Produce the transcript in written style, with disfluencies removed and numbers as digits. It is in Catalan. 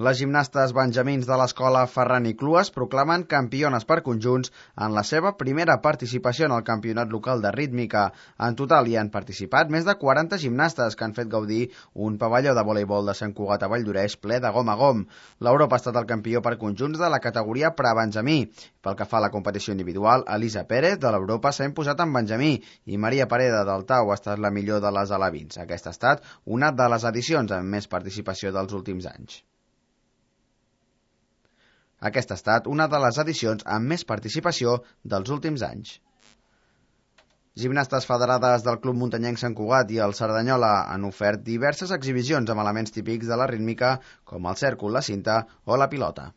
Les gimnastes benjamins de l'escola Ferran i Clues proclamen campiones per conjunts en la seva primera participació en el campionat local de rítmica. En total hi han participat més de 40 gimnastes que han fet gaudir un pavelló de voleibol de Sant Cugat a Valldoreix ple de gom a gom. L'Europa ha estat el campió per conjunts de la categoria prebenjamí. Pel que fa a la competició individual, Elisa Pérez de l'Europa s'ha imposat en benjamí i Maria Pareda del Tau ha estat la millor de les alevins. Aquesta ha estat una de les edicions amb més participació dels últims anys. Aquesta ha estat una de les edicions amb més participació dels últims anys. Gimnastes federades del Club Muntanyenc Sant Cugat i el Cerdanyola han ofert diverses exhibicions amb elements típics de la rítmica com el cèrcol, la cinta o la pilota.